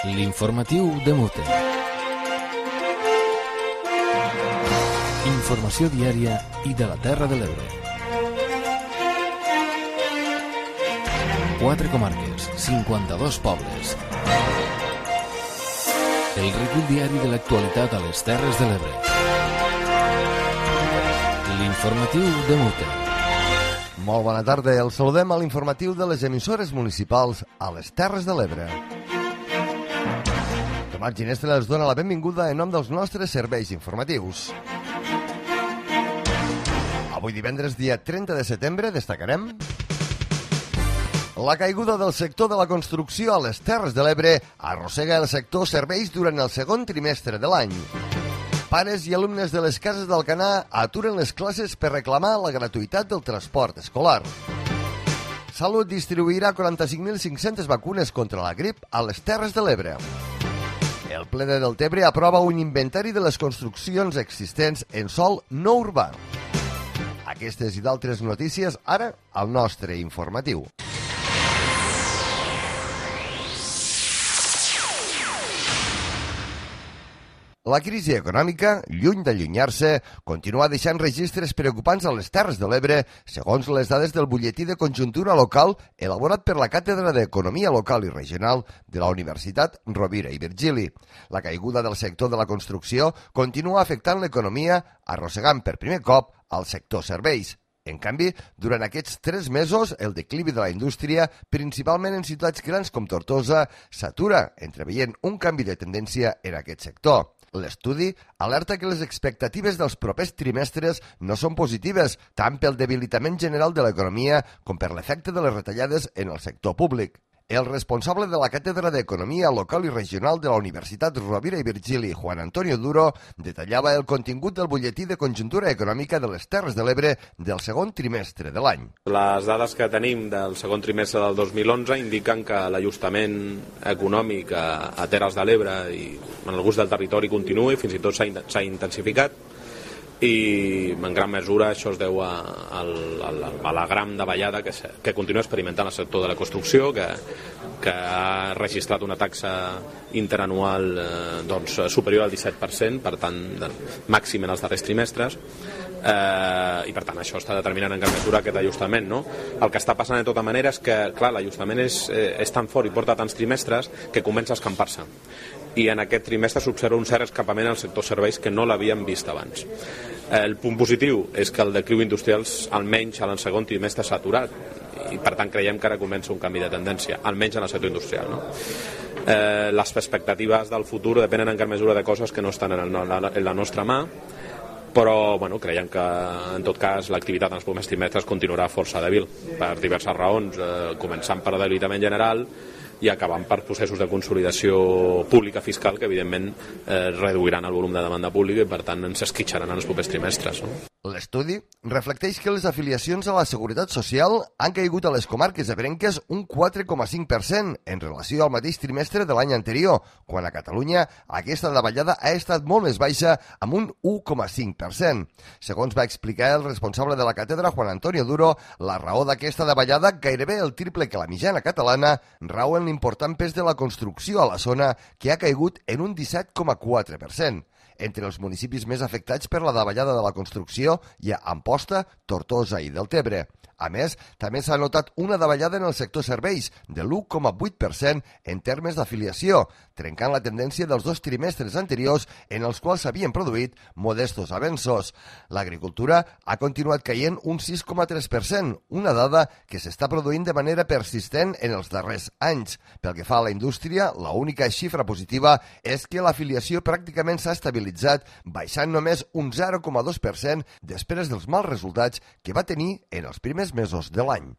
L'informatiu de Mute. Informació diària i de la Terra de l'Ebre. 4 comarques, 52 pobles. El recull diari de l'actualitat a les Terres de l'Ebre. L'informatiu de Mute. Molt bona tarda, el saludem a l'informatiu de les emissores municipals a les Terres de l'Ebre. Tomàs Ginestra els dona la benvinguda en nom dels nostres serveis informatius. Avui divendres, dia 30 de setembre, destacarem la caiguda del sector de la construcció a les Terres de l'Ebre arrossega el sector serveis durant el segon trimestre de l'any. Pares i alumnes de les cases d'Alcanar aturen les classes per reclamar la gratuïtat del transport escolar. Salut distribuirà 45.500 vacunes contra la grip a les Terres de l'Ebre. El ple de Deltebre aprova un inventari de les construccions existents en sòl no urbà. Aquestes i d'altres notícies ara al nostre informatiu. La crisi econòmica, lluny d'allunyar-se, continua deixant registres preocupants a les Terres de l'Ebre, segons les dades del butlletí de conjuntura local elaborat per la Càtedra d'Economia Local i Regional de la Universitat Rovira i Virgili. La caiguda del sector de la construcció continua afectant l'economia, arrossegant per primer cop al sector serveis. En canvi, durant aquests 3 mesos, el declivi de la indústria, principalment en ciutats grans com Tortosa, s'atura, entreveient un canvi de tendència en aquest sector. L'estudi alerta que les expectatives dels propers trimestres no són positives, tant pel debilitament general de l'economia com per l'efecte de les retallades en el sector públic. El responsable de la Càtedra d'Economia Local i Regional de la Universitat Rovira i Virgili, Juan Antonio Duro, detallava el contingut del butlletí de conjuntura econòmica de les Terres de l'Ebre del segon trimestre de l'any. Les dades que tenim del segon trimestre del 2011 indiquen que l'ajustament econòmic a Terres de l'Ebre i en alguns del territori continua i fins i tot s'ha intensificat, i en gran mesura això es deu a la gran davallada que continua experimentant el sector de la construcció, que ha registrat una taxa interanual superior al 17%, per tant màxim en els darrers trimestres, i per tant això està determinant en gran mesura aquest ajustament, no? El que està passant de tota manera és que clar, l'ajustament és tan fort i porta tants trimestres que comença a escampar-se, i en aquest trimestre s'observa un cert escapament al sector serveis que no l'havíem vist abans. El punt positiu és que el decliu industrial almenys en el segon trimestre s'ha aturat, i per tant creiem que ara comença un canvi de tendència, almenys en el sector industrial, no? Les expectatives del futur depenen en gran mesura de coses que no estan en la nostra mà, però creiem que en tot cas l'activitat en els primers trimestres continuarà força dèbil per diverses raons, començant per debilitament general i acabant per processos de consolidació pública fiscal que evidentment reduiran el volum de demanda pública i per tant ens esquitxaran en els propers trimestres, no? L'estudi reflecteix que les afiliacions a la Seguretat Social han caigut a les comarques ebrenques un 4,5% en relació al mateix trimestre de l'any anterior, quan a Catalunya aquesta davallada ha estat molt més baixa, amb un 1,5%. Segons va explicar el responsable de la càtedra, Juan Antonio Duro, la raó d'aquesta davallada, gairebé el triple que la mitjana catalana, rau en l'important pes de la construcció a la zona, que ha caigut en un 17,4%. Entre els municipis més afectats per la davallada de la construcció hi ha Amposta, Tortosa i Deltebre. A més, també s'ha notat una davallada en el sector serveis de l'1,8% en termes d'afiliació, trencant la tendència dels 2 trimestres anteriors en els quals s'havien produït modestos avenços. L'agricultura ha continuat caient un 6,3%, una dada que s'està produint de manera persistent en els darrers anys. Pel que fa a la indústria, l'única xifra positiva és que l'afiliació pràcticament s'ha estabilitzat, baixant només un 0,2% després dels mals resultats que va tenir en els primers mesos de l'any.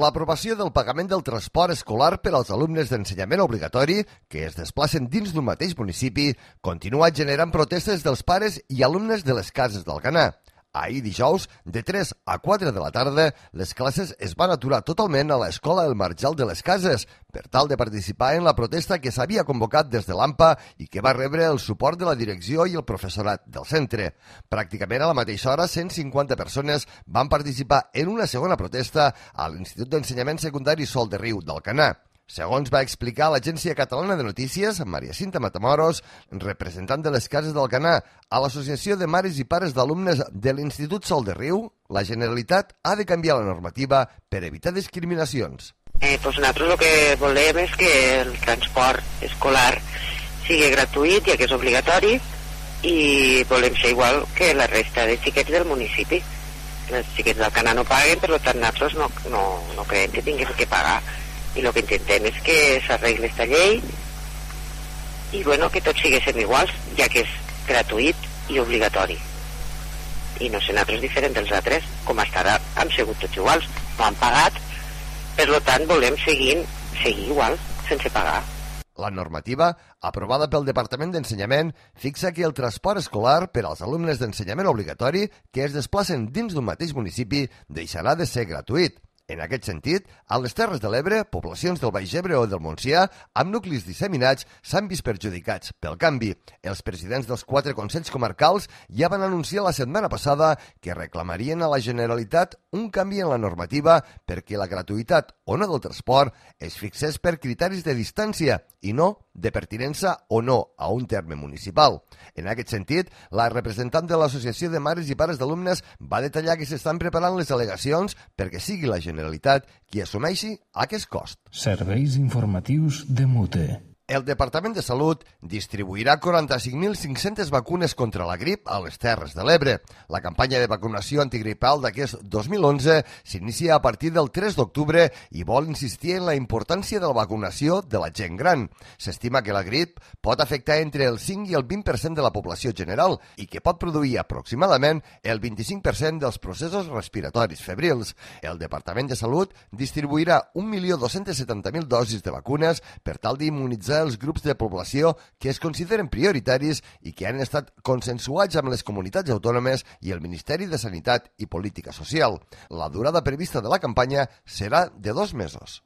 L'aprovació del pagament del transport escolar per als alumnes d'ensenyament obligatori que es desplacen dins d'un mateix municipi continua generant protestes dels pares i alumnes de les cases d'Alcanar. Ahir dijous, de 3 a 4 de la tarda, les classes es van aturar totalment a l'Escola El Marjal de les Cases per tal de participar en la protesta que s'havia convocat des de l'AMPA i que va rebre el suport de la direcció i el professorat del centre. Pràcticament a la mateixa hora, 150 persones van participar en una segona protesta a l'Institut d'Ensenyament Secundari Sol de Riu d'Alcanar. Segons va explicar l'Agència Catalana de Notícies, Maria Cinta Matamoros, representant de les Cases d'Alcanar a l'Associació de Mares i Pares d'Alumnes de l'Institut Sol de Riu, la Generalitat ha de canviar la normativa per evitar discriminacions. Nosaltres el que volem és que el transport escolar sigui gratuït, ja que és obligatori, i volem ser igual que la resta de xiquets del municipi. Els xiquets d'Alcanar no paguen, per tant nosaltres no creiem que tinguem que pagar. I el que intentem és que s'arregli aquesta llei i que tots siguéssim iguals, ja que és gratuït i obligatori. I no sé, nosaltres diferent dels altres, com hasta ara hem sigut tots iguals, no han pagat, per tant volem seguir igual, sense pagar. La normativa, aprovada pel Departament d'Ensenyament, fixa que el transport escolar per als alumnes d'ensenyament obligatori que es desplacen dins d'un mateix municipi deixarà de ser gratuït. En aquest sentit, a les Terres de l'Ebre, poblacions del Baix Ebre o del Montsià, amb nuclis disseminats, s'han vist perjudicats. Pel canvi, els presidents dels 4 consells comarcals ja van anunciar la setmana passada que reclamarien a la Generalitat un canvi en la normativa perquè la gratuïtat o no del transport es fixés per criteris de distància i no de pertinença o no a un terme municipal. En aquest sentit, la representant de l'Associació de Mares i Pares d'Alumnes va detallar que s'estan preparant les al·legacions perquè sigui la Generalitat qui assumeixi aquest cost. Serveis informatius de Mute. El Departament de Salut distribuirà 45.500 vacunes contra la grip a les Terres de l'Ebre. La campanya de vacunació antigripal d'aquest 2011 s'inicia a partir del 3 d'octubre i vol insistir en la importància de la vacunació de la gent gran. S'estima que la grip pot afectar entre el 5 i el 20% de la població general i que pot produir aproximadament el 25% dels processos respiratoris febrils. El Departament de Salut distribuirà 1.270.000 dosis de vacunes per tal d'immunitzar els grups de població que es consideren prioritaris i que han estat consensuats amb les comunitats autònomes i el Ministeri de Sanitat i Política Social. La durada prevista de la campanya serà de 2 mesos.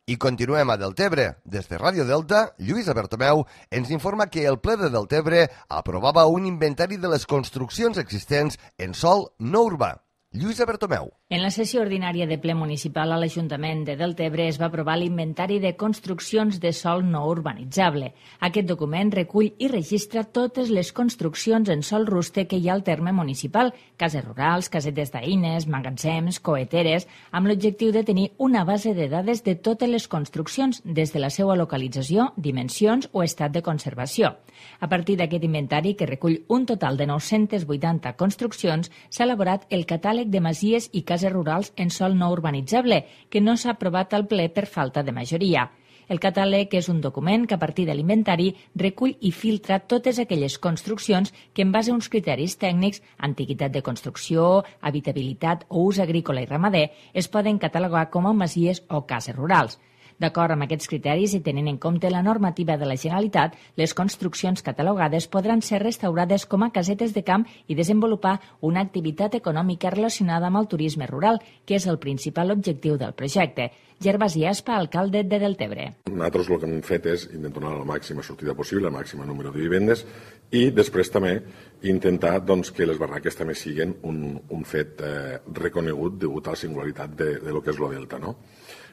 I continuem a Deltebre. Des de Ràdio Delta, Lluïsa Bertomeu ens informa que el ple de Deltebre aprovava un inventari de les construccions existents en sòl no urbà. Lluïsa Bertomeu. En la sessió ordinària de ple municipal a l'Ajuntament de Deltebre es va aprovar l'Inventari de Construccions de Sòl No Urbanitzable. Aquest document recull i registra totes les construccions en sòl rústec que hi ha al terme municipal, cases rurals, casetes d'eines, magatzems, coeteres, amb l'objectiu de tenir una base de dades de totes les construccions, des de la seva localització, dimensions o estat de conservació. A partir d'aquest inventari, que recull un total de 980 construccions, s'ha elaborat el catàleg de masies i cases rurals en sòl no urbanitzable, que no s'ha aprovat al ple per falta de majoria. El catàleg és un document que a partir de l'inventari recull i filtra totes aquelles construccions que en base a uns criteris tècnics, antiguitat de construcció, habitabilitat o ús agrícola i ramader, es poden catalogar com a masies o cases rurals. D'acord amb aquests criteris i tenint en compte la normativa de la Generalitat, les construccions catalogades podran ser restaurades com a casetes de camp i desenvolupar una activitat econòmica relacionada amb el turisme rural, que és el principal objectiu del projecte. Gervasi Aspa, alcalde de Deltebre. Nosaltres el que hem fet és intentar donar la màxima sortida possible, el màxim número de vivendes, i després també intentar que les barraques també siguin un fet reconegut degut a la singularitat de lo que és lo Delta, no?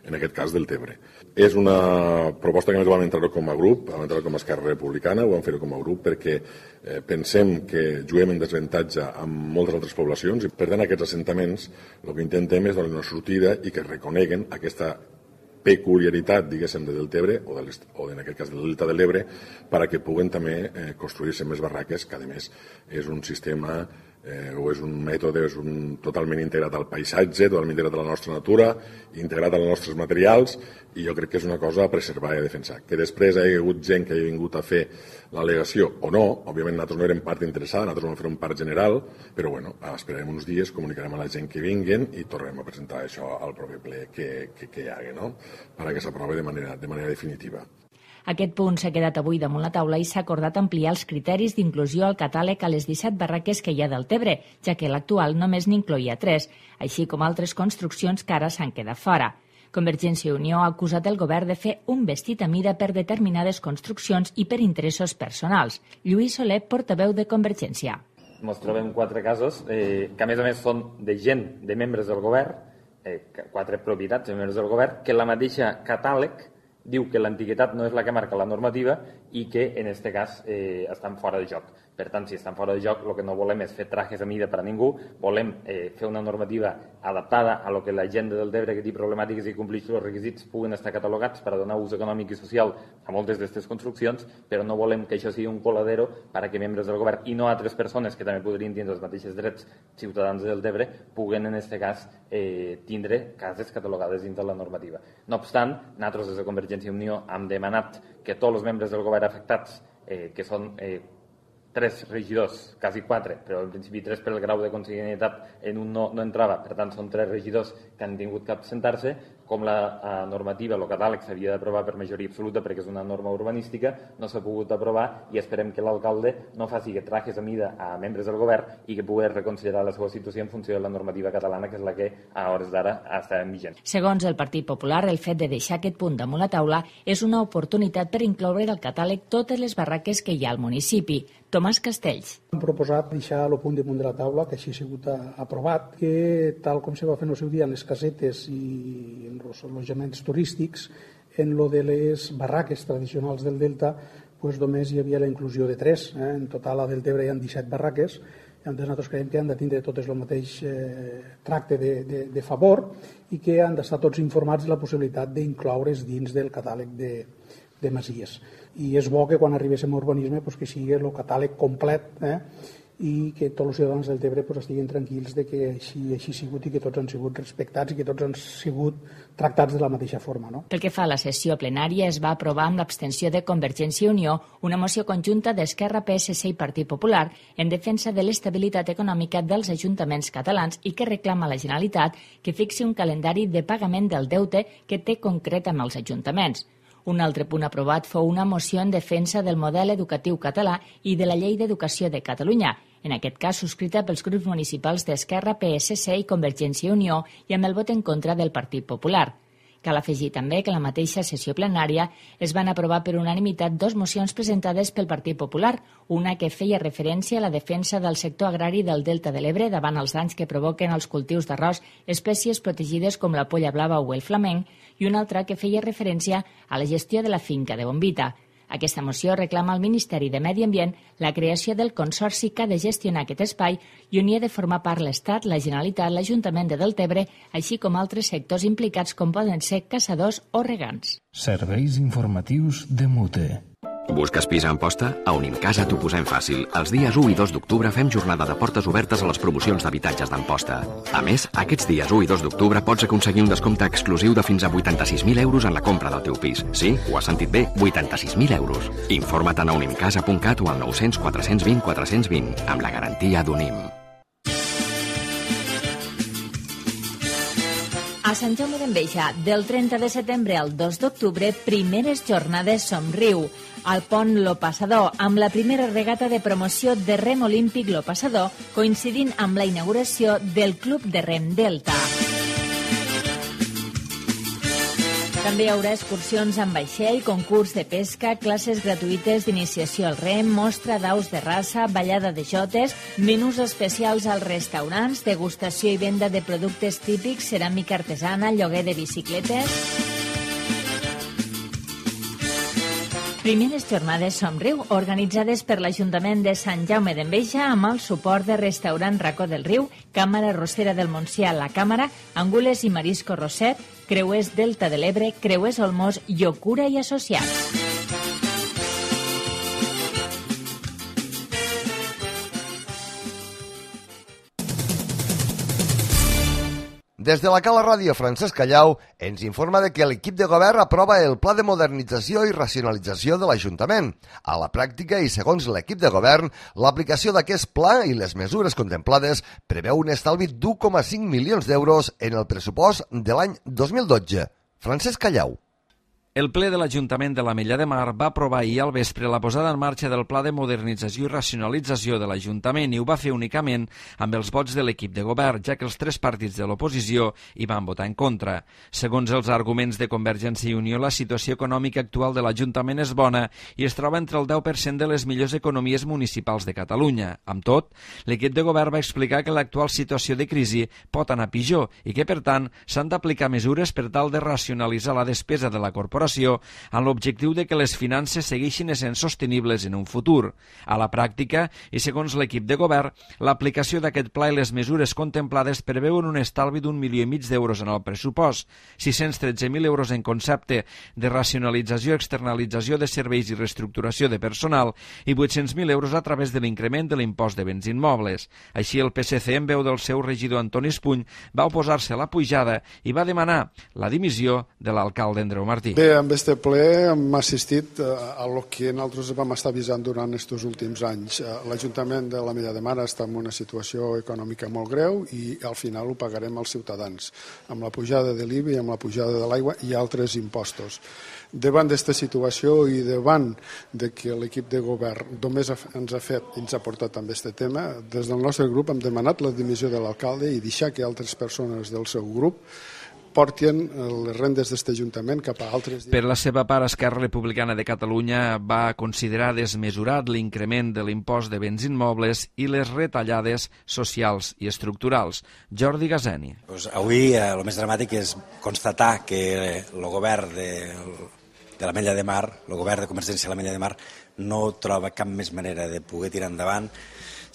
En aquest cas Deltebre. És una proposta que més vam entrar com a grup, vam entrar com a Esquerra Republicana, ho vam fer com a grup perquè pensem que juguem en desavantatge amb moltes altres poblacions i per tant aquests assentaments el que intentem és donar una sortida i que reconeguen aquesta peculiaritat, diguéssim, de Deltebre o en aquest cas del Delta de l'Ebre perquè puguen també construir-se més barraques, que a més és un sistema o és un mètode totalment integrat al paisatge, totalment integrat a la nostra natura, integrat als nostres materials, i jo crec que és una cosa a preservar i a defensar. Que després hi ha hagut gent que ha vingut a fer l'al·legació o no, òbviament nosaltres no érem part interessada, nosaltres vam fer un part general, però bueno, esperarem uns dies, comunicarem a la gent que vinguin i tornarem a presentar això al proper ple que hi hagi, no? Perquè s'aprovi de manera definitiva. Aquest punt s'ha quedat avui damunt la taula i s'ha acordat ampliar els criteris d'inclusió al catàleg a les 17 barraques que hi ha del Tebre, ja que l'actual només n'incloïa 3, així com altres construccions que ara s'han quedat fora. Convergència i Unió ha acusat el govern de fer un vestit a mida per determinades construccions i per interessos personals. Lluís Soler, portaveu de Convergència. Ens trobem 4 casos que a més són de gent, de membres del govern, 4 propietats de membres del govern, que la mateixa catàleg diu que l'antiguitat no és la que marca la normativa i que en aquest cas estan fora de joc. Per tant, si estan fora de joc, el que no volem és fer trajes a mida per a ningú, volem fer una normativa adaptada a lo que la gent del Tebre que té problemàtiques i compleix els requisits puguen estar catalogats per a donar ús econòmic i social a moltes d'aquestes construccions, però no volem que això sigui un coladero per a que membres del govern i no altres persones que també podrien tindre els mateixos drets ciutadans del Tebre puguen en aquest cas tindre cases catalogades dins de la normativa. No obstant, nosaltres des de Convergència i Unió hem demanat que tots els membres del govern afectats, que són 3 regidors, quasi 4, però en principi 3 per el grau de consanguinitat en un no entrava, per tant són 3 regidors que han tingut que absentar-se, com la normativa, el catàleg s'havia d'aprovar per majoria absoluta perquè és una norma urbanística, no s'ha pogut aprovar i esperem que l'alcalde no faci que trajes a mida a membres del govern i que pugui reconsiderar la seva situació en funció de la normativa catalana, que és la que a hores d'ara està en vigent. Segons el Partit Popular, el fet de deixar aquest punt damunt la taula és una oportunitat per incloure al catàleg totes les barraques que hi ha al municipi. Tomàs Castells. Hem proposat deixar el punt damunt de la taula, que així ha sigut aprovat, que tal com se va fer en el seu dia en les casetes i en els allotjaments turístics, en lo de les barraques tradicionals del Delta, pues només hi havia la inclusió de 3. En total a Deltebre hi ha 17 barraques, i nosaltres creiem que han de tindre totes el mateix tracte de favor i que han d'estar tots informats de la possibilitat d'incloure's dins del catàleg de masies. I és bo que quan arribéssim a urbanisme que sigui el catàleg complet i que tots els ciutadans del Tebre estiguin tranquils de que així ha sigut i que tots han sigut respectats i que tots han sigut tractats de la mateixa forma. No? Pel que fa a la sessió plenària, es va aprovar amb l'abstenció de Convergència i Unió una moció conjunta d'Esquerra, PSC i Partit Popular en defensa de l'estabilitat econòmica dels ajuntaments catalans i que reclama a la Generalitat que fixi un calendari de pagament del deute que té concret amb els ajuntaments. Un altre punt aprovat fou una moció en defensa del model educatiu català i de la Llei d'Educació de Catalunya, en aquest cas subscrita pels grups municipals d'Esquerra, PSC i Convergència i Unió i amb el vot en contra del Partit Popular. Cal afegir també que en la mateixa sessió plenària es van aprovar per unanimitat 2 mocions presentades pel Partit Popular, una que feia referència a la defensa del sector agrari del Delta de l'Ebre davant els danys que provoquen els cultius d'arròs, espècies protegides com la polla blava o el flamenc, i una altra que feia referència a la gestió de la finca de Bombita. Aquesta moció reclama al Ministeri de Medi Ambient la creació del consorci que ha de gestionar aquest espai i on hi ha de formar part l'Estat, la Generalitat, l'Ajuntament de Deltebre, així com altres sectors implicats com poden ser caçadors o regants. Serveis informatius de Mute. Busques pis a Amposta? A Unimcasa t'ho posem fàcil. Els dies 1 i 2 d'octubre fem jornada de portes obertes a les promocions d'habitatges d'Amposta. A més, aquests dies 1 i 2 d'octubre pots aconseguir un descompte exclusiu de fins a 86.000 euros en la compra del teu pis. Sí, ho has sentit bé, 86.000 euros. Informa't a unimcasa.cat o al 900 420 420, amb la garantia d'Unim. A Sant Jaume d'Enveja, del 30 de setembre al 2 d'octubre, primeres jornades Somriu. Al pont Lo Passador, amb la primera regata de promoció de rem olímpic Lo Passador, coincidint amb la inauguració del Club de Rem Delta. També hi haurà excursions amb vaixell, concurs de pesca, classes gratuïtes d'iniciació al rem, mostra d'aus de raça, ballada de jotes, menús especials als restaurants, degustació i venda de productes típics, ceràmica artesana, lloguer de bicicletes. Primeres jornades Somriu, organitzades per l'Ajuntament de Sant Jaume d'Enveja amb el suport de Restaurant Racó del Riu, Càmera Rossera del Montsià, La Càmera, Angules i Marisco Roset, Creuers Delta de l'Ebre, Creuers Olmos, Llocura i Associats. Des de la Cala Ràdio, Francesc Callau ens informa de que l'equip de govern aprova el pla de modernització i racionalització de l'Ajuntament. A la pràctica i segons l'equip de govern, l'aplicació d'aquest pla i les mesures contemplades preveu un estalvi d'1,5 milions d'euros en el pressupost de l'any 2012. Francesc Callau. El ple de l'Ajuntament de l'Ametlla de Mar va aprovar ahir al vespre la posada en marxa del Pla de Modernització i Racionalització de l'Ajuntament i ho va fer únicament amb els vots de l'equip de govern, ja que els 3 partits de l'oposició hi van votar en contra. Segons els arguments de Convergència i Unió, la situació econòmica actual de l'Ajuntament és bona i es troba entre el 10% de les millors economies municipals de Catalunya. Amb tot, l'equip de govern va explicar que l'actual situació de crisi pot anar pitjor i que, per tant, s'han d'aplicar mesures per tal de racionalitzar la despesa de la corporació amb l'objectiu de que les finances segueixin essent sostenibles en un futur. A la pràctica, i segons l'equip de govern, l'aplicació d'aquest pla i les mesures contemplades preveuen un estalvi d'1,5 milió d'euros en el pressupost, 613.000 euros en concepte de racionalització, externalització de serveis i reestructuració de personal i 800.000 euros a través de l'increment de l'impost de béns immobles. Així, el PSC, en veu del seu regidor Antoni Espuny, va oposar-se a la pujada i va demanar la dimissió de l'alcalde Andreu Martí. Bé, amb este ple hem assistit a lo que nosaltres vam estar avisant durant aquests últims anys. L'Ajuntament de l'Ametlla de Mar està en una situació econòmica molt greu i al final ho pagarem els ciutadans, amb la pujada de l'IBI, amb la pujada de l'aigua i altres impostos. Davant d'aquesta situació i davant de que l'equip de govern només ens ha portat amb aquest tema, des del nostre grup hem demanat la dimissió de l'alcalde i deixar que altres persones del seu grup portin les rendes d'aquest Ajuntament cap a altres... Per la seva part, Esquerra Republicana de Catalunya va considerar desmesurat l'increment de l'impost de béns immobles i les retallades socials i estructurals. Jordi Gazeni. Avui el més dramàtic és constatar que el govern de l'Ametlla de Mar, el govern de Convergència de l'Ametlla de Mar, no troba cap més manera de poder tirar endavant,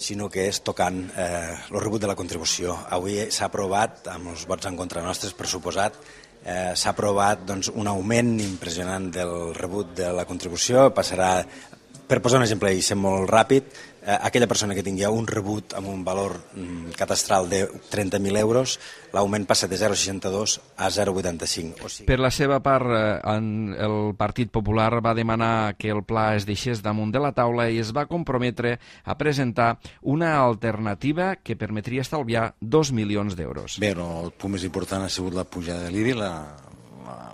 sinó que és tocant el rebut de la contribució. Avui s'ha aprovat, amb els vots en contra nostres, per suposat, s'ha aprovat un augment impressionant del rebut de la contribució. Passarà, per posar un exemple i ser molt ràpid, aquella persona que tingui un rebut amb un valor catastral de 30.000 euros, l'augment passa de 0,62 a 0,85. Per la seva part, el Partit Popular va demanar que el pla es deixés damunt de la taula i es va comprometre a presentar una alternativa que permetria estalviar 2 milions d'euros. Bé, el punt més important ha sigut la pujada de l'IBI,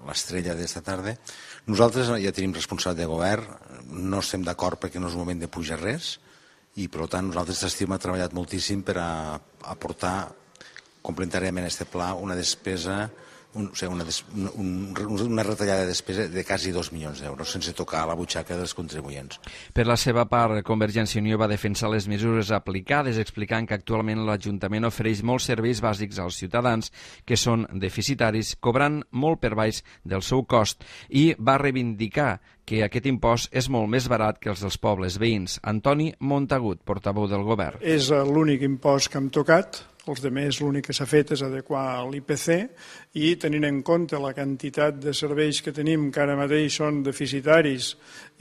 l'estrella d'esta tarda. Nosaltres ja tenim responsabilitat de govern, no estem d'acord perquè no és moment de pujar res, i per tant nosaltres estem treballat moltíssim per aportar complementàriament a aquest pla una despesa, una retallada de despesa de quasi 2 milions d'euros sense tocar la butxaca dels contribuents. Per la seva part, Convergència i Unió va defensar les mesures aplicades, explicant que actualment l'Ajuntament ofereix molts serveis bàsics als ciutadans que són deficitaris, cobrant molt per baix del seu cost, i va reivindicar que aquest impost és molt més barat que els dels pobles veïns. Antoni Montagut, portaveu del govern. És l'únic impost que hem tocat. Els altres, l'únic que s'ha fet és adequar l'IPC i tenint en compte la quantitat de serveis que tenim, que ara mateix són deficitaris,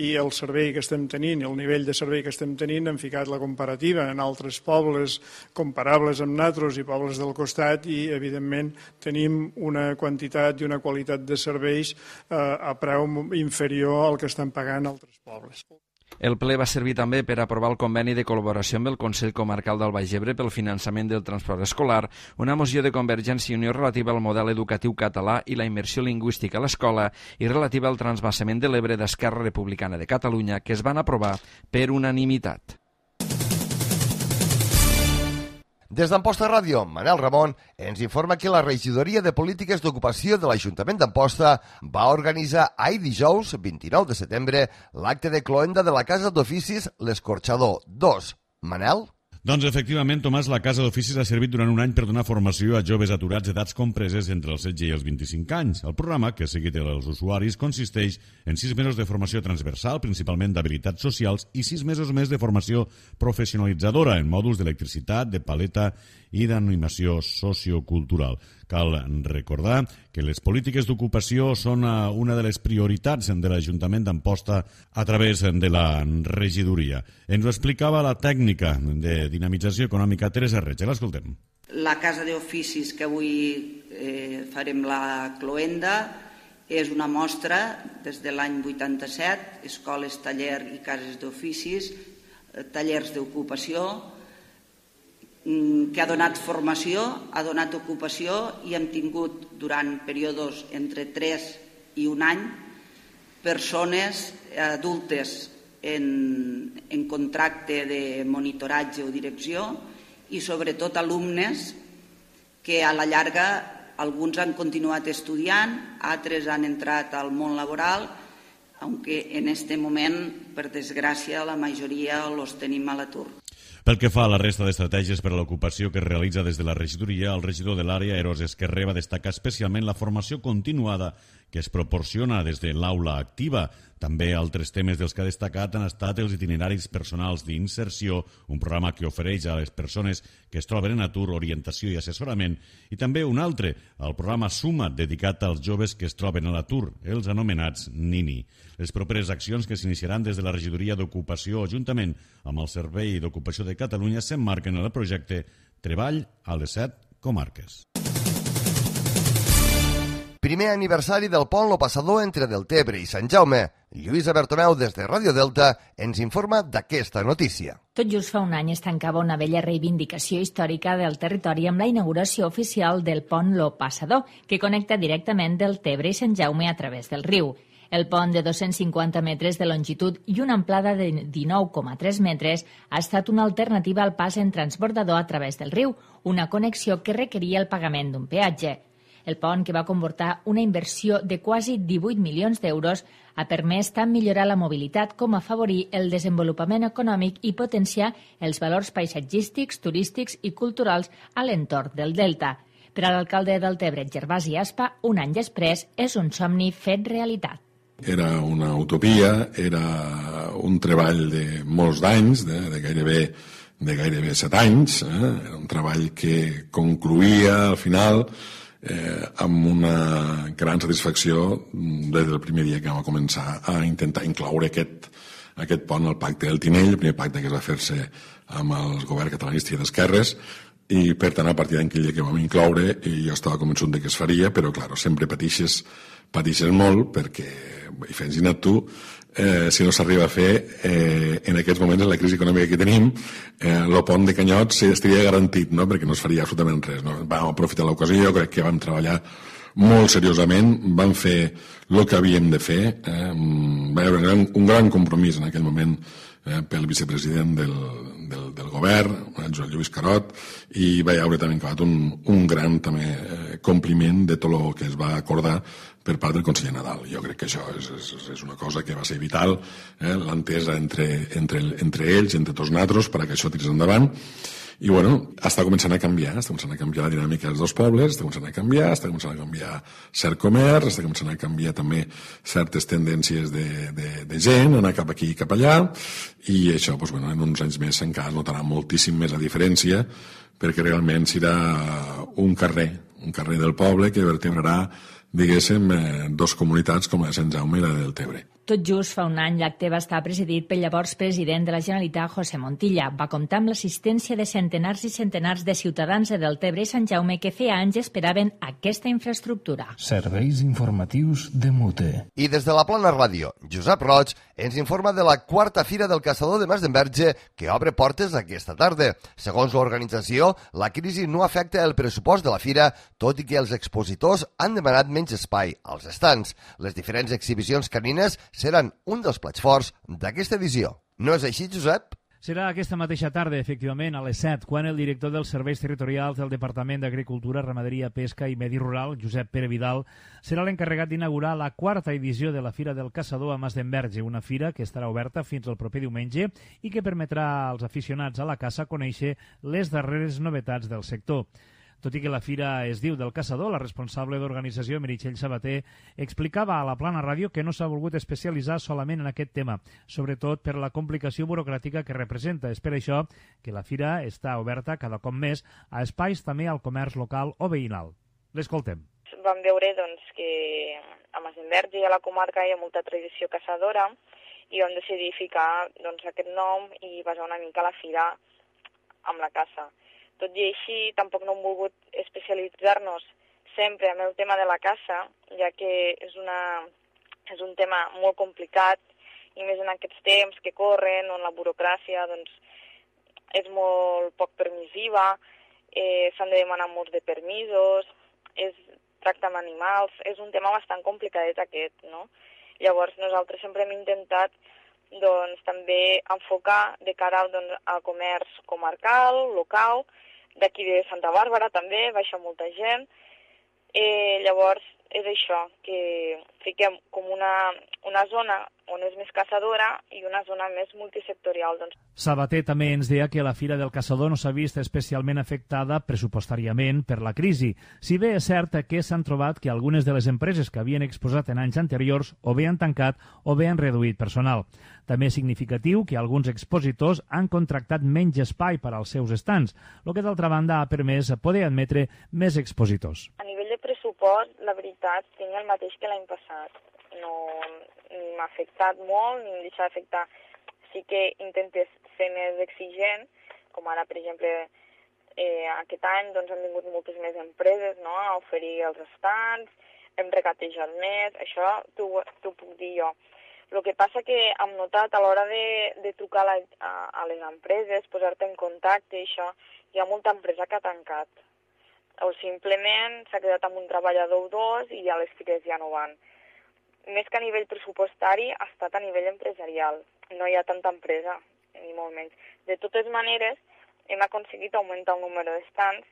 i el servei que estem tenint i el nivell de servei que estem tenint, hem ficat la comparativa en altres pobles comparables amb nosaltres i pobles del costat i, evidentment, tenim una quantitat i una qualitat de serveis a preu inferior al que estan pagant altres pobles. El ple va servir també per aprovar el conveni de col·laboració amb el Consell Comarcal del Baix Ebre pel finançament del transport escolar, una moció de Convergència i Unió relativa al model educatiu català i la immersió lingüística a l'escola i relativa al transvasament de l'Ebre d'Esquerra Republicana de Catalunya, que es van aprovar per unanimitat. Des d'Amposta Ràdio, Manel Ramon ens informa que la regidoria de polítiques d'ocupació de l'Ajuntament d'Amposta va organitzar ahir dijous, 29 de setembre, l'acte de cloenda de la Casa d'Oficis L'Escorxador 2. Manel? Doncs efectivament, Tomàs, la Casa d'Oficis ha servit durant un any per donar formació a joves aturats d'edats compreses entre els 16 i els 25 anys. El programa, que ha seguit els usuaris, consisteix en 6 mesos de formació transversal, principalment d'habilitats socials, i 6 mesos més de formació professionalitzadora en mòduls d'electricitat, de paleta i d'animació sociocultural. Cal recordar que les polítiques d'ocupació són una de les prioritats de l'Ajuntament d'Amposta a través de la regidoria. Ens ho explicava la tècnica de dinamització econòmica Teresa Reig. L'escoltem. La Casa d'Oficis que avui farem la cloenda és una mostra des de l'any 87, escoles, taller i cases d'oficis, tallers d'ocupació, que ha donat formació, ha donat ocupació i hem tingut durant períodes entre 3 i un any persones adultes en contracte de monitoratge o direcció i sobretot alumnes que a la llarga alguns han continuat estudiant, altres han entrat al món laboral, aunque en este moment, per desgràcia, la majoria els tenim a l'atur. Pel que fa a la resta d'estratègies per a l'ocupació que es realitza des de la regidoria, el regidor de l'àrea, Eros Esquerré, va destacar especialment la formació continuada que es proporciona des de l'aula activa. També altres temes dels que ha destacat han estat els itineraris personals d'inserció, un programa que ofereix a les persones que es troben en atur orientació i assessorament, i també un altre, el programa Suma, dedicat als joves que es troben a l'atur, els anomenats NINI. Les properes accions que s'iniciaran des de la regidoria d'ocupació juntament amb el Servei d'Ocupació de Catalunya s'emmarquen en el projecte Treball a les 7 comarques. Primer aniversari del pont Lo Passador entre Deltebre i Sant Jaume. Lluïsa Bertomeu, des de Ràdio Delta, ens informa d'aquesta notícia. Tot just fa un any es tancava una vella reivindicació històrica del territori amb la inauguració oficial del pont Lo Passador, que connecta directament Deltebre i Sant Jaume a través del riu. El pont de 250 metres de longitud i una amplada de 19,3 metres ha estat una alternativa al pas en transbordador a través del riu, una connexió que requeria el pagament d'un peatge. El pont, que va comportar una inversió de quasi 18 milions d'euros, ha permès tant millorar la mobilitat com afavorir el desenvolupament econòmic i potenciar els valors paisatgístics, turístics i culturals a l'entorn del Delta. Per a l'alcalde del Deltebre, Gervasi Aspa, un any després és un somni fet realitat. Era una utopia, era un treball de molts d'anys, de gairebé 7 anys, era un treball que concluïa al final amb una gran satisfacció des del primer dia que vam començar a intentar incloure aquest pont al pacte del Tinell, el primer pacte que es va fer-se amb el govern catalanista i d'esquerres, i per tant a partir d'aquell dia que vam incloure jo estava convençut de que es faria, però clar, sempre patixes molt perquè, i imagina't tu, si no s'arriba a fer en aquests moments, en la crisi econòmica que tenim, el pont de Canyots estaria garantit, no? Perquè no es faria absolutament res, no? Vam aprofitar l'ocasió, crec que vam treballar molt seriosament, vam fer el que havíem de fer, va haver un gran compromís en aquell moment pel vicepresident del govern, Joan Lluís Carot, i va haver també un gran també compliment de tot el que es va acordar per part del conseller Nadal. Jo crec que això és una cosa que va ser vital, l'entesa entre ells, entre tots nosaltres, perquè això tirés endavant. I bueno, està començant a canviar la dinàmica dels dos pobles, està començant a canviar cert comerç, està començant a canviar també certes tendències de gent, anar cap aquí i cap allà, i això, doncs, bueno, en uns anys més encara es notarà moltíssim més la diferència, perquè realment serà un carrer del poble que vertebrarà, diguéssim, dos comunitats com la de Sant Jaume i la de Deltebre. Tot just fa un any l'acte va estar presidit pel llavors president de la Generalitat, José Montilla. Va comptar amb l'assistència de centenars i centenars de ciutadans de Deltebre i Sant Jaume que feia anys esperaven aquesta infraestructura. Serveis informatius de Mute. I des de la Plana Ràdio, Josep Roig ens informa de la quarta Fira del Caçador de Masdenverge que obre portes aquesta tarda. Segons l'organització, la crisi no afecta el pressupost de la fira, tot i que els expositors han demanat menys espai als estants. Les diferents exhibicions canines seran un dels plats forts d'aquesta edició. No és així, Josep? Serà aquesta mateixa tarda, efectivament, a les 7, quan el director dels Serveis Territorials del Departament d'Agricultura, Ramaderia, Pesca i Medi Rural, Josep Pere Vidal, serà l'encarregat d'inaugurar la quarta edició de la Fira del Caçador a Masdenverge, una fira que estarà oberta fins al proper diumenge i que permetrà als aficionats a la caça conèixer les darreres novetats del sector. Tot i que la fira es diu del Caçador, la responsable d'organització, Meritxell Sabater, explicava a la Plana Ràdio que no s'ha volgut especialitzar solament en aquest tema, sobretot per la complicació burocràtica que representa. És per això que la fira està oberta cada cop més a espais també al comerç local o veïnal. L'escoltem. Vam veure que a Masdenverge i a la comarca hi ha molta tradició caçadora i vam decidir ficar aquest nom i basar una mica la fira amb la caça. Tot i així, tampoc no hem volgut especialitzar-nos sempre en el tema de la caça, ja que és un tema molt complicat, i més en aquests temps que corren, on la burocràcia és molt poc permissiva, s'han de demanar molts de permisos, tracta amb animals, és un tema bastant complicadet aquest, no? Llavors nosaltres sempre hem intentat doncs, també enfocar de cara al comerç comarcal, local, d'aquí de Santa Bàrbara també, baixa molta gent. Llavors és això, que fiquem com una zona on és més caçadora i una zona més multisectorial. Doncs. Sabater també ens deia que la Fira del Caçador no s'ha vist especialment afectada pressupostàriament per la crisi. Si bé és cert que s'han trobat que algunes de les empreses que havien exposat en anys anteriors o bé han tancat o bé han reduït personal. També és significatiu que alguns expositors han contractat menys espai per als seus estants, el que d'altra banda ha permès poder admetre més expositors. A nivell de pressupost, la veritat, tinc el mateix que l'any passat. No m'ha afectat molt, ni em deixa d'afectar. Sí que intentes ser més exigent, com ara, per exemple, aquest any doncs, han vingut moltes més empreses, no?, a oferir els estants, hem regatejat més, això t'ho puc dir jo. El que passa que hem notat a l'hora de trucar a les empreses, posar-te en contacte, això, hi ha molta empresa que ha tancat. O simplement s'ha quedat amb un treballador o dos i ja les fires ja no van. Més que a nivell pressupostari, ha estat a nivell empresarial. No hi ha tanta empresa, ni molt menys. De totes maneres, hem aconseguit augmentar el número d'estants,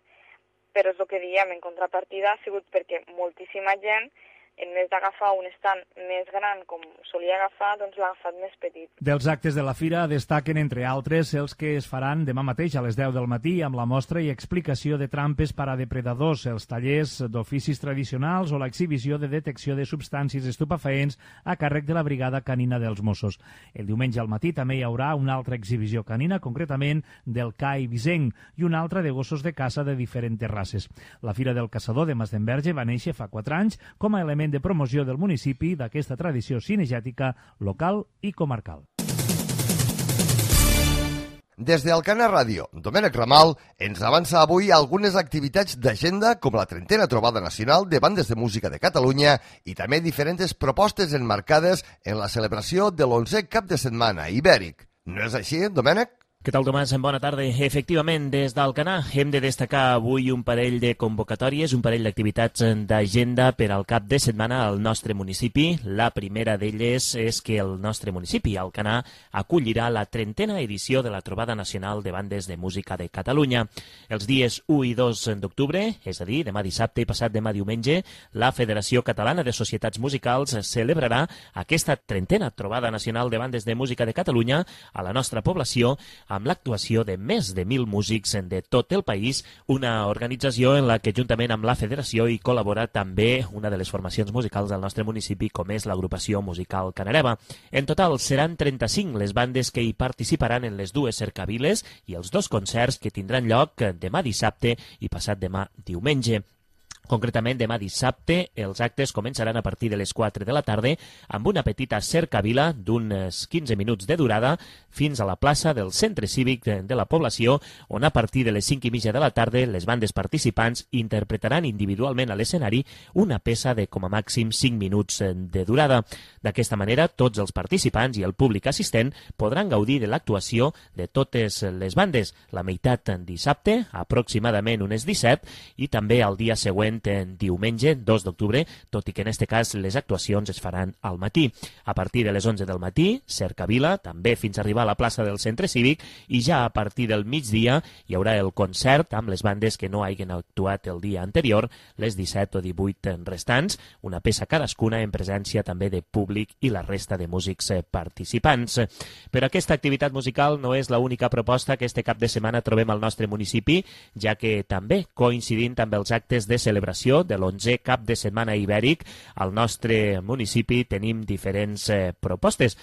però és el que diem, en contrapartida ha sigut perquè moltíssima gent, en més d'agafar un estant més gran com solia agafar, doncs l'ha agafat més petit. Dels actes de la fira destaquen, entre altres, els que es faran demà mateix a les 10 del matí amb la mostra i explicació de trampes per a depredadors, els tallers d'oficis tradicionals o l'exhibició de detecció de substàncies estupefaents a càrrec de la Brigada Canina dels Mossos. El diumenge al matí també hi haurà una altra exhibició canina, concretament del CAI Visenc, i una altra de gossos de caça de diferents races. La Fira del Caçador de Masdenverge va néixer fa 4 anys com a element de promoció del municipi d'aquesta tradició cinegètica local i comarcal. Des d'Alcana Ràdio, Domènec Ramal ens avança avui algunes activitats d'agenda com la 30a Trobada Nacional de Bandes de Música de Catalunya i també diferents propostes enmarcades en la celebració de l'11è cap de setmana ibèric. No és així, Domènec? Què tal, Tomàs? Bona tarda. Efectivament, des d'Alcanar hem de destacar avui un parell de convocatòries, un parell d'activitats d'agenda per al cap de setmana al nostre municipi. La primera d'elles és que el nostre municipi, Alcanar, acollirà la 30a edició de la Trobada Nacional de Bandes de Música de Catalunya. Els dies 1 i 2 d'octubre, és a dir, demà dissabte i passat demà diumenge, la Federació Catalana de Societats Musicals celebrarà aquesta 30a Trobada Nacional de Bandes de Música de Catalunya a la nostra població, amb l'actuació de més de 1.000 músics de tot el país, una organització en la que juntament amb la federació hi col·labora també una de les formacions musicals del nostre municipi, com és l'agrupació musical Canareva. En total seran 35 les bandes que hi participaran en les dues cercaviles i els 2 concerts que tindran lloc demà dissabte i passat demà diumenge. Concretament, demà dissabte, els actes començaran a partir de les 4 de la tarda amb una petita cercavila d'uns 15 minuts de durada fins a la plaça del Centre Cívic de la població, on a partir de les 5:30 de la tarda les bandes participants interpretaran individualment a l'escenari una peça de com a màxim 5 minuts de durada. D'aquesta manera, tots els participants i el públic assistent podran gaudir de l'actuació de totes les bandes, la meitat dissabte, aproximadament unes 17, i també el dia següent, en diumenge, 2 d'octubre, tot i que en aquest cas les actuacions es faran al matí. A partir de les 11 del matí, cercavila, també fins a arribar a la plaça del Centre Cívic, i ja a partir del migdia hi haurà el concert amb les bandes que no hagin actuat el dia anterior, les 17 o 18 restants, una peça cadascuna en presència també de públic i la resta de músics participants. Però aquesta activitat musical no és l'única proposta que este cap de setmana trobem al nostre municipi, ja que també, coincidint amb els actes de celebració de l'11è cap de setmana ibèric, al nostre municipi tenim diferents propostes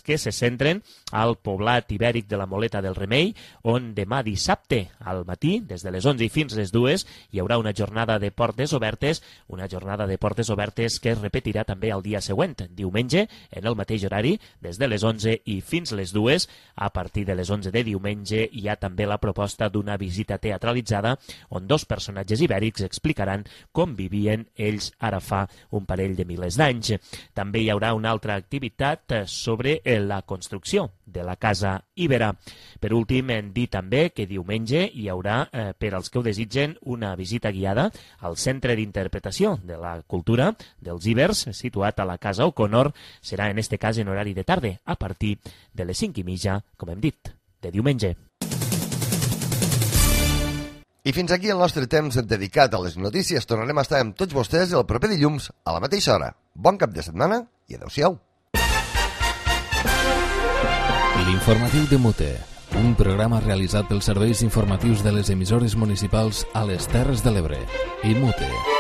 que se centren al poblat ibèric de la Moleta del Remei, on demà dissabte al matí, des de les 11 i fins les 2, hi haurà una jornada de portes obertes, que es repetirà també el dia següent, diumenge, en el mateix horari, des de les 11 i fins les 2. A partir de les 11 de diumenge hi ha també la proposta d'una visita teatralitzada on 2 personatges ibèrics expliquen explicaran com vivien ells ara fa un parell de milers d'anys. També hi haurà una altra activitat sobre la construcció de la Casa Ibera. Per últim, hem dit també que diumenge hi haurà, per als que ho desitgen, una visita guiada al Centre d'Interpretació de la Cultura dels Ibers, situat a la Casa O'Connor. Serà en este cas en horari de tarda, a partir de les 5:30, com hem dit, de diumenge. I fins aquí el nostre temps dedicat a les notícies. Tornarem a estar amb tots vostès el proper dilluns a la mateixa hora. Bon cap de setmana i adeu-siau. L'informatiu de Mute, un programa realitzat pels serveis informatius de les emissores municipals a les Terres de l'Ebre i Mute.